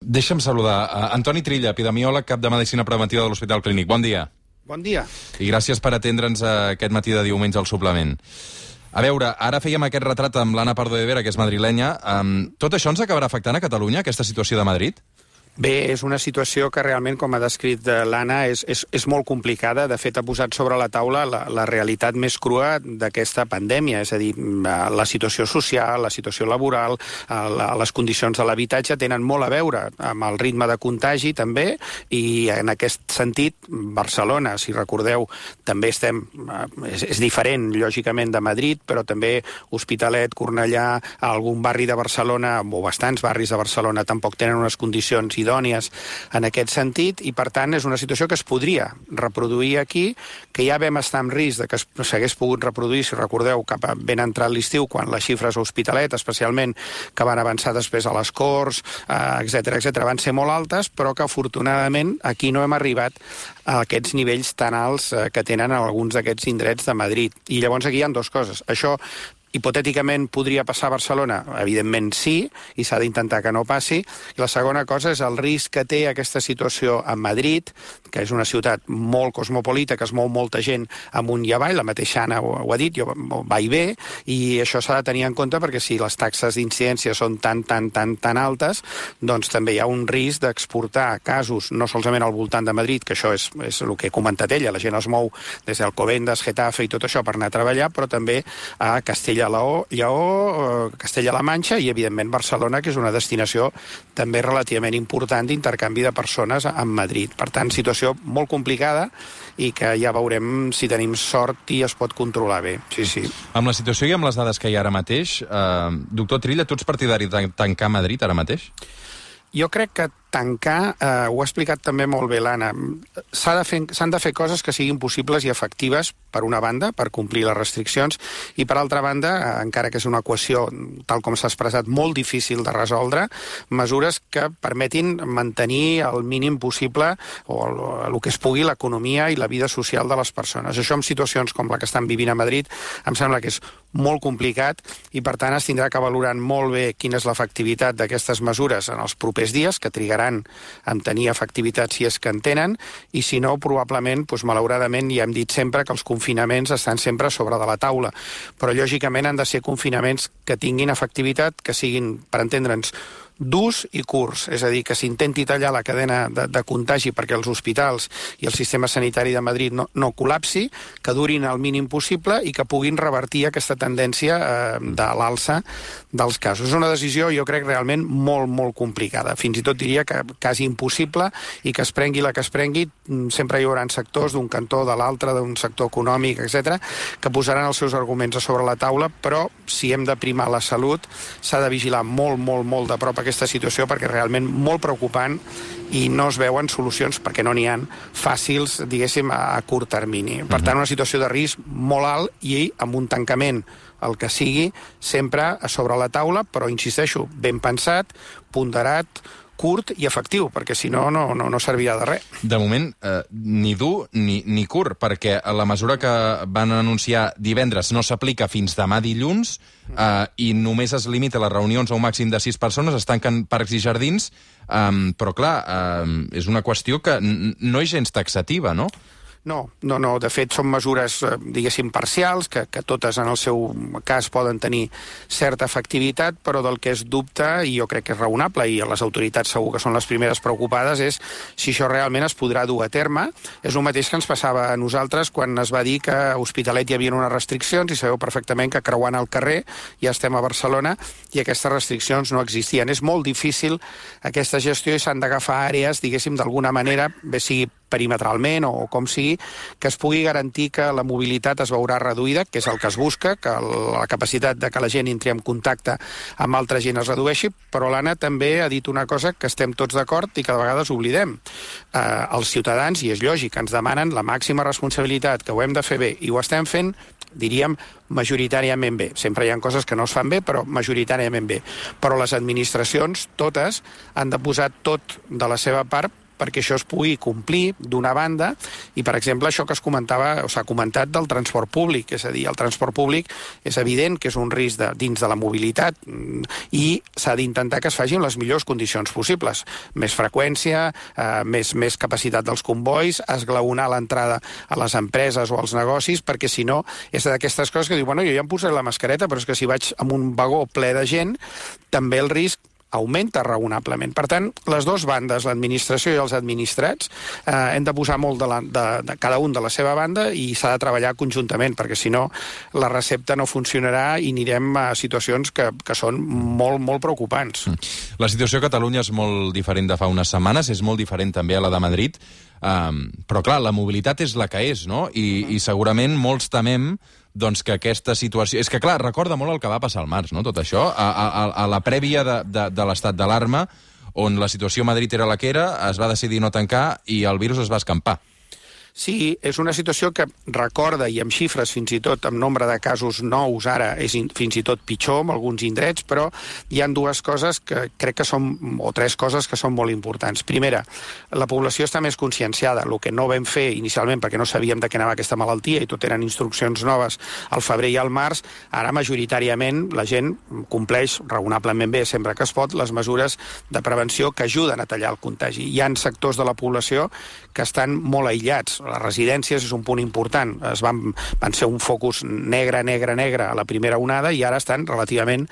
Deixa'm saludar Antoni Trilla, epidemiòleg, cap de Medicina Preventiva de l'Hospital Clínic. Bon dia. Bon dia. I gràcies per atendre'ns aquest matí de diumenge al suplement. A veure, ara fèiem aquest retrat amb l'Anna Pardo de Vera, que és madrilenya. Tot això ens acabarà afectant a Catalunya, aquesta situació de Madrid? Bé, és una situació que realment, com ha descrit l'Anna, és molt complicada. De fet, ha posat sobre la taula la realitat més crua d'aquesta pandèmia. És a dir, la situació social, la situació laboral, les condicions de l'habitatge tenen molt a veure amb el ritme de contagi, també, i en aquest sentit, Barcelona, si recordeu, també és diferent, lògicament, de Madrid, però també Hospitalet, Cornellà, algun barri de Barcelona, o bastants barris de Barcelona, tampoc tenen unes condicions idònies en aquest sentit, i per tant és una situació que es podria reproduir aquí, que ja vam estar en risc de que s'hagués pogut reproduir, si recordeu, cap a ben entrat l'estiu, quan les xifres a Hospitalet, especialment, que van avançar després a les Corts, etc, van ser molt altes, però que afortunadament aquí no hem arribat a aquests nivells tan alts que tenen alguns d'aquests indrets de Madrid. I llavors aquí hi ha dues coses. Això hipotèticament podria passar a Barcelona? Evidentment sí, i s'ha d'intentar que no passi. I la segona cosa és el risc que té aquesta situació a Madrid, que és una ciutat molt cosmopolita, que es mou molta gent amunt i avall, la mateixa Anna ho ha dit, jo va i ve, i això s'ha de tenir en compte perquè si les taxes d'incidència són tan altes, doncs també hi ha un risc d'exportar casos, no solament al voltant de Madrid, que això és el que ha comentat ella, la gent es mou des d'Alcobendas, Getafe i tot això per anar a treballar, però també a Lleó, Castella-La Manxa i, evidentment, Barcelona, que és una destinació també relativament important d'intercanvi de persones amb Madrid. Per tant, situació molt complicada i que ja veurem si tenim sort i es pot controlar bé. Sí. Amb la situació i amb les dades que hi ha ara mateix, doctor Trilla, tu ets partidari de tancar Madrid ara mateix? Jo crec que tancar, ho ha explicat també molt bé l'Anna, s'han de fer coses que siguin possibles i efectives, per una banda, per complir les restriccions, i per altra banda, encara que és una equació, tal com s'ha expressat, molt difícil de resoldre, mesures que permetin mantenir el mínim possible o el que es pugui l'economia i la vida social de les persones. Això en situacions com la que estan vivint a Madrid em sembla que és molt complicat i per tant es tindrà que valorar molt bé quina és l'efectivitat d'aquestes mesures en els propers dies, que trigaran en tenir efectivitat si és que en tenen, i si no, probablement, malauradament, ja hem dit sempre que els confinaments estan sempre sobre de la taula, però lògicament han de ser confinaments que tinguin efectivitat, que siguin, per entendre'ns, durs i curts, és a dir, que s'intenti tallar la cadena de contagi perquè els hospitals i el sistema sanitari de Madrid no col·lapsi, que durin el mínim possible i que puguin revertir aquesta tendència de l'alça dels casos. És una decisió, jo crec, realment molt complicada. Fins i tot diria que quasi impossible, i que es prengui la que es prengui, sempre hi haurà sectors d'un cantó, de l'altre, d'un sector econòmic, etc, que posaran els seus arguments a sobre la taula, però si hem de primar la salut, s'ha de vigilar molt de prop aquesta situació, perquè és realment molt preocupant i no es veuen solucions, perquè no n'hi ha, fàcils, diguéssim, a curt termini. Per tant, una situació de risc molt alt i amb un tancament, el que sigui, sempre a sobre la taula, però, insisteixo, ben pensat, ponderat, curt i efectiu, perquè si no, no servirà de res. De moment, ni dur ni curt, perquè la mesura que van anunciar divendres no s'aplica fins demà dilluns i només es limita a les reunions a un màxim de 6 persones, es tanquen parcs i jardins, però clar, és una qüestió que no és gens taxativa, no? No. De fet, són mesures, diguéssim, parcials, que totes en el seu cas poden tenir certa efectivitat, però del que es dubta, i jo crec que és raonable, i les autoritats segur que són les primeres preocupades, és si això realment es podrà dur a terme. És el mateix que ens passava a nosaltres quan es va dir que a Hospitalet hi havia unes restriccions, i sabeu perfectament que creuant el carrer ja estem a Barcelona i aquestes restriccions no existien. És molt difícil aquesta gestió i s'han d'agafar àrees, diguéssim, d'alguna manera, bé sigui perimetralment o com sigui, que es pugui garantir que la mobilitat es veurà reduïda, que és el que es busca, que la capacitat de que la gent entri en contacte amb altra gent es redueixi, però l'Anna també ha dit una cosa que estem tots d'acord i que de vegades oblidem. Els ciutadans, i és lògic, ens demanen la màxima responsabilitat, que ho hem de fer bé, i ho estem fent, diríem, majoritàriament bé. Sempre hi ha coses que no es fan bé, però majoritàriament bé. Però les administracions, totes, han de posar tot de la seva part perquè això es pugui complir d'una banda, i per exemple això que es comentava, o s'ha comentat del transport públic, és a dir, el transport públic és evident que és un risc dins de la mobilitat i s'ha d'intentar que es faci en les millors condicions possibles. Més freqüència, més capacitat dels combois, esglaonar l'entrada a les empreses o als negocis, perquè si no és d'aquestes coses que diu, bueno, jo ja em posaré la mascareta, però és que si vaig amb un vagó ple de gent, també el risc augmenta raonablement. Per tant, les dues bandes, l'administració i els administrats, hem de posar molt de cada un de la seva banda i s'ha de treballar conjuntament, perquè si no la recepta no funcionarà i anirem a situacions que són molt, molt preocupants. La situació a Catalunya és molt diferent de fa unes setmanes, és molt diferent també a la de Madrid, però clar, la mobilitat és la que és, no? I segurament molts temem doncs que aquesta situació... És que, clar, recorda molt el que va passar al març, no?, tot això, a la prèvia de l'estat d'alarma, on la situació a Madrid era la que era, es va decidir no tancar i el virus es va escampar. Sí, és una situació que recorda, i amb xifres fins i tot, amb nombre de casos nous ara, és fins i tot pitjor en alguns indrets, però hi ha dues coses que crec que són, o tres coses que són molt importants. Primera, la població està més conscienciada, el que no vam fer inicialment perquè no sabíem de què anava aquesta malaltia i tot eren instruccions noves al febrer i al març, ara majoritàriament la gent compleix raonablement bé, sempre que es pot, les mesures de prevenció que ajuden a tallar el contagi. Hi ha sectors de la població que estan molt aïllats. Les residències és un punt important. Van ser un focus negre a la primera onada i ara estan relativament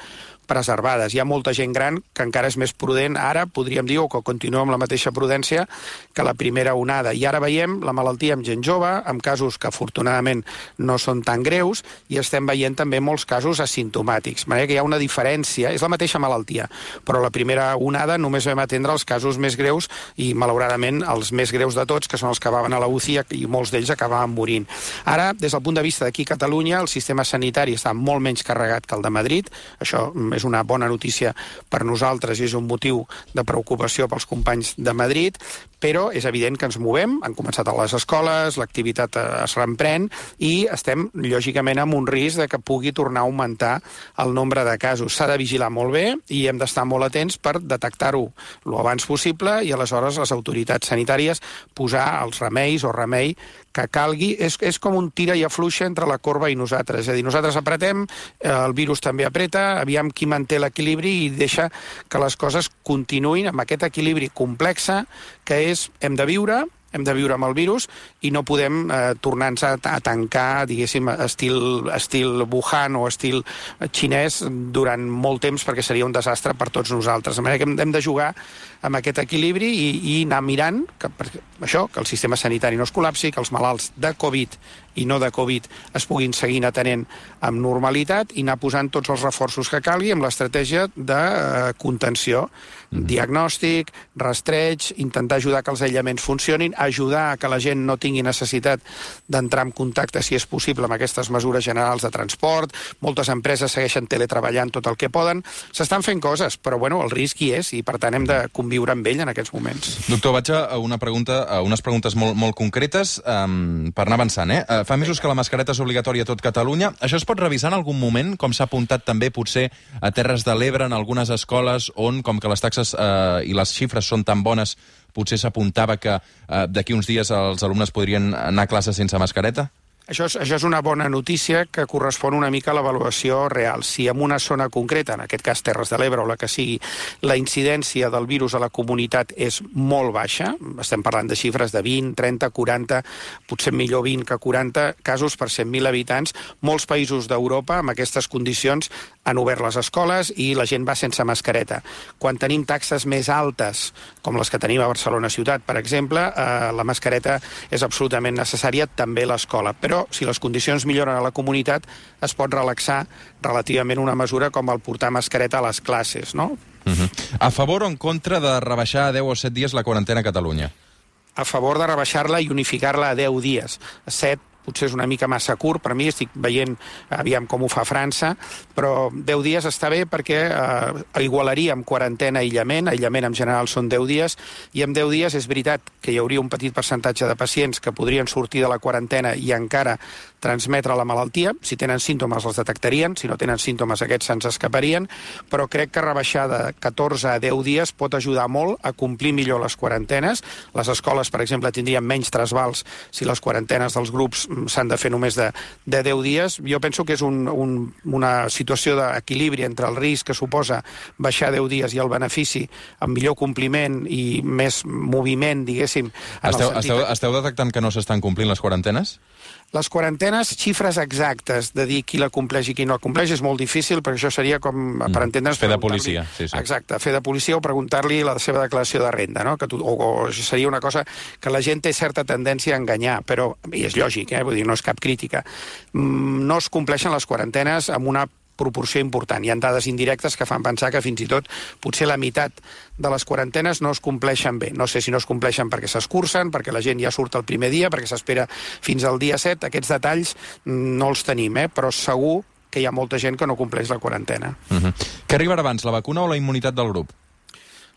preservades. Hi ha molta gent gran que encara és més prudent ara, podríem dir, o que continua amb la mateixa prudència que la primera onada. I ara veiem la malaltia amb gent jove, amb casos que afortunadament no són tan greus, i estem veient també molts casos asimptomàtics. De manera que hi ha una diferència, és la mateixa malaltia, però la primera onada només vam atendre els casos més greus i, malauradament, els més greus de tots, que són els que acabaven a la UCI i molts d'ells acabaven morint. Ara, des del punt de vista d'aquí a Catalunya, el sistema sanitari està molt menys carregat que el de Madrid. Això és una bona notícia per nosaltres i és un motiu de preocupació pels companys de Madrid, però és evident que ens movem, han començat a les escoles, l'activitat es reemprèn i estem, lògicament, amb un risc de que pugui tornar a augmentar el nombre de casos. S'ha de vigilar molt bé i hem d'estar molt atents per detectar-ho lo abans possible i aleshores les autoritats sanitàries posar els remeis o remei que calgui. És com un tira i afluixa entre la corba i nosaltres. És a dir, nosaltres apretem, el virus també apreta, aviam qui manté l'equilibri i deixa que les coses continuïn amb aquest equilibri complex que és hem de viure amb el virus i no podem tornar-nos a tancar, diguéssim, estil Wuhan o estil xinès durant molt temps perquè seria un desastre per tots nosaltres. De manera que hem de jugar amb aquest equilibri i anar mirant que el sistema sanitari no es col·lapsi, que els malalts de Covid i no de Covid es puguin seguir atenent amb normalitat i anar posant tots els reforços que calgui amb l'estratègia de contenció, diagnòstic, rastreig, intentar ajudar que els aïllaments funcionin, ajudar a que la gent no tingui necessitat d'entrar en contacte, si és possible, amb aquestes mesures generals de transport. Moltes empreses segueixen teletreballant tot el que poden. S'estan fent coses, però bueno, el risc hi és i per tant hem de conviure amb ell en aquests moments. Doctor, vaig a unes preguntes molt concretes per anar avançant. Fa mesos que la mascareta és obligatòria a tot Catalunya. Això es pot revisar en algun moment, com s'ha apuntat també potser a Terres de l'Ebre, en algunes escoles on, com que les taxes i les xifres són tan bones, potser s'apuntava que d'aquí uns dies els alumnes podrien anar a classe sense mascareta? Això és una bona notícia que correspon una mica a l'avaluació real. Si en una zona concreta, en aquest cas Terres de l'Ebre o la que sigui, la incidència del virus a la comunitat és molt baixa, estem parlant de xifres de 20, 30, 40, potser millor 20 que 40 casos per 100.000 habitants, molts països d'Europa amb aquestes condicions han obert les escoles i la gent va sense mascareta. Quan tenim taxes més altes, com les que tenim a Barcelona ciutat, per exemple, la mascareta és absolutament necessària, també a l'escola. Però si les condicions milloren a la comunitat, es pot relaxar relativament una mesura com el portar mascareta a les classes, no? A favor o en contra de rebaixar a 10 o 7 dies la quarantena a Catalunya? A favor de rebaixar-la i unificar-la a 10 dies. 7 potser és una mica massa curt per mi, estic veient aviam com ho fa França, però 10 dies està bé perquè igualaríem quarantena i aïllament en general són 10 dies, i en 10 dies és veritat que hi hauria un petit percentatge de pacients que podrien sortir de la quarantena i encara transmetre la malaltia. Si tenen símptomes els detectarien, si no tenen símptomes aquests se'ns escaparien, però crec que rebaixar de 14 a 10 dies pot ajudar molt a complir millor les quarantenes. Les escoles, per exemple, tindrien menys trasbals si les quarantenes dels grups s'han de fer només de 10 dies. Jo penso que és una situació d'equilibri entre el risc que suposa baixar 10 dies i el benefici amb millor compliment i més moviment, diguéssim. Esteu detectant que no s'estan complint les quarantenes? Les quarantenes, xifres exactes de dir qui la compleix i qui no la compleix és molt difícil, perquè això seria com, per entendre's... Fer de policia, sí. Exacte, fer de policia o preguntar-li la seva declaració de renda, no? O seria una cosa que la gent té certa tendència a enganyar, però, i és lògic, vull dir, no és cap crítica. No es compleixen les quarantenes amb una proporció important. Hi ha dades indirectes que fan pensar que fins i tot potser la meitat de les quarantenes no es compleixen bé. No sé si no es compleixen perquè s'escurcen, perquè la gent ja surt el primer dia, perquè s'espera fins al dia 7. Aquests detalls no els tenim, però segur que hi ha molta gent que no compleix la quarantena. Què arribarà abans, la vacuna o la immunitat del grup?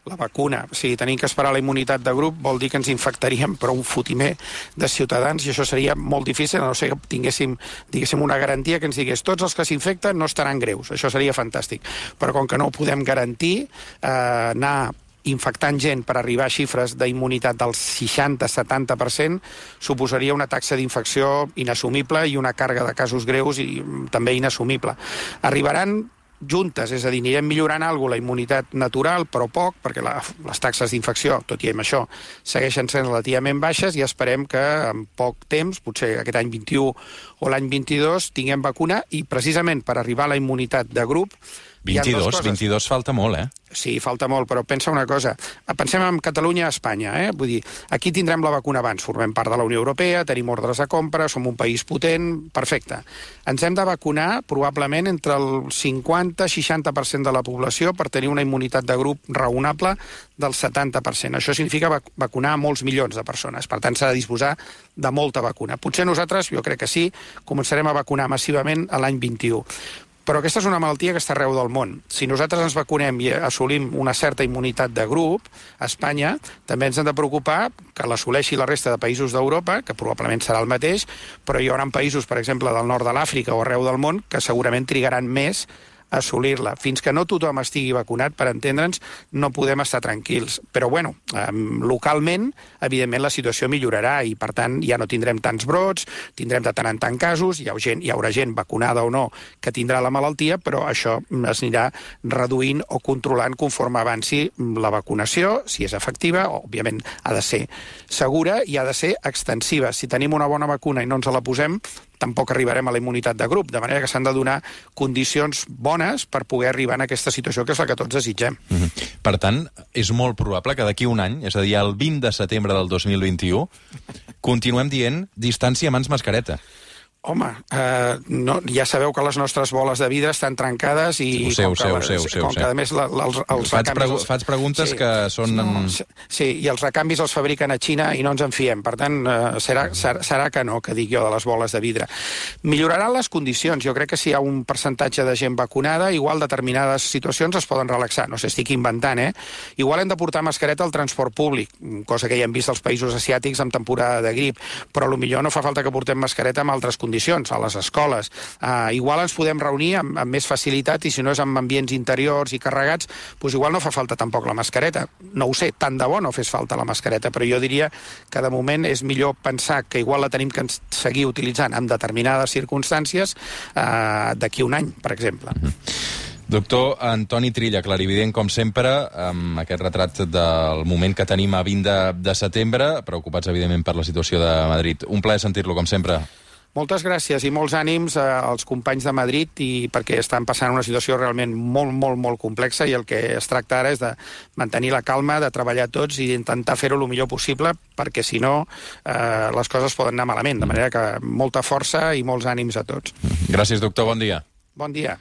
La vacuna. Si tenim que esperar la immunitat de grup vol dir que ens infectaríem per un fotimer de ciutadans i això seria molt difícil, a no ser que tinguéssim, diguéssim, una garantia que ens digués tots els que s'infecten no estaran greus. Això seria fantàstic. Però com que no ho podem garantir, anar infectant gent per arribar a xifres d'immunitat del 60-70% suposaria una taxa d'infecció inassumible i una càrrega de casos greus i també inassumible. Arribaran juntes, és a dir, anirem millorant alguna la immunitat natural, però poc, perquè les taxes d'infecció, tot i amb això, segueixen sent relativament baixes i esperem que en poc temps, potser aquest any 21 o l'any 22, tinguem vacuna i precisament per arribar a la immunitat de grup 22 falta molt, Sí, falta molt, però pensa una cosa. Pensem en Catalunya i Espanya, Vull dir, aquí tindrem la vacuna abans, formem part de la Unió Europea, tenim ordres de compra, som un país potent, perfecte. Ens hem de vacunar probablement entre el 50-60% de la població per tenir una immunitat de grup raonable del 70%. Això significa vacunar molts milions de persones. Per tant, s'ha de disposar de molta vacuna. Potser nosaltres, jo crec que sí, començarem a vacunar massivament a l'any 21. Però aquesta és una malaltia que està arreu del món. Si nosaltres ens vacunem i assolim una certa immunitat de grup, a Espanya també ens hem de preocupar que l'assoleixi la resta de països d'Europa, que probablement serà el mateix, però hi haurà països, per exemple, del nord de l'Àfrica o arreu del món, que segurament trigaran més a assolir-la. Fins que no tothom estigui vacunat, per entendre'ns, no podem estar tranquils. Però, bueno, localment, evidentment, la situació millorarà i, per tant, ja no tindrem tants brots, tindrem de tant en tant casos, hi haurà gent vacunada o no que tindrà la malaltia, però això es anirà reduint o controlant conforme avanci la vacunació, si és efectiva, òbviament ha de ser segura i ha de ser extensiva. Si tenim una bona vacuna i no ens la posem, tampoc arribarem a la immunitat de grup, de manera que s'han de donar condicions bones per poder arribar en aquesta situació que és la que tots desitgem. Per tant, és molt probable que d'aquí un any, és a dir, el 20 de setembre del 2021, continuem dient distància mans mascareta. Home, ja sabeu que les nostres boles de vidre estan trencades i com que a més els recanvis... Faig preguntes que són... Sí, i els recanvis els fabriquen a Xina i no ens en fiem. Per tant, serà que no, que dic jo, de les boles de vidre. Milloraran les condicions. Jo crec que si hi ha un percentatge de gent vacunada, igual determinades situacions es poden relaxar. No sé, estic inventant, Igual hem de portar mascareta al transport públic, cosa que ja hem vist als països asiàtics en temporada de grip, però potser no fa falta que portem mascareta amb altres condicions, a les escoles. Igual ens podem reunir amb més facilitat i si no és en ambients interiors i carregats, doncs igual no fa falta tampoc la mascareta. No ho sé, tant de bo no fes falta la mascareta, però jo diria que de moment és millor pensar que igual la tenim que seguir utilitzant en determinades circumstàncies d'aquí un any, per exemple. Doctor Antoni Trilla, clarivident com sempre, amb aquest retrat del moment que tenim a 20 de setembre, preocupats evidentment per la situació de Madrid. Un plaer sentir-lo, com sempre. Moltes gràcies i molts ànims als companys de Madrid perquè estan passant una situació realment molt, molt, molt complexa i el que es tracta ara és de mantenir la calma, de treballar tots i d'intentar fer-ho el millor possible perquè si no les coses poden anar malament. De manera que molta força i molts ànims a tots. Gràcies, doctor. Bon dia. Bon dia.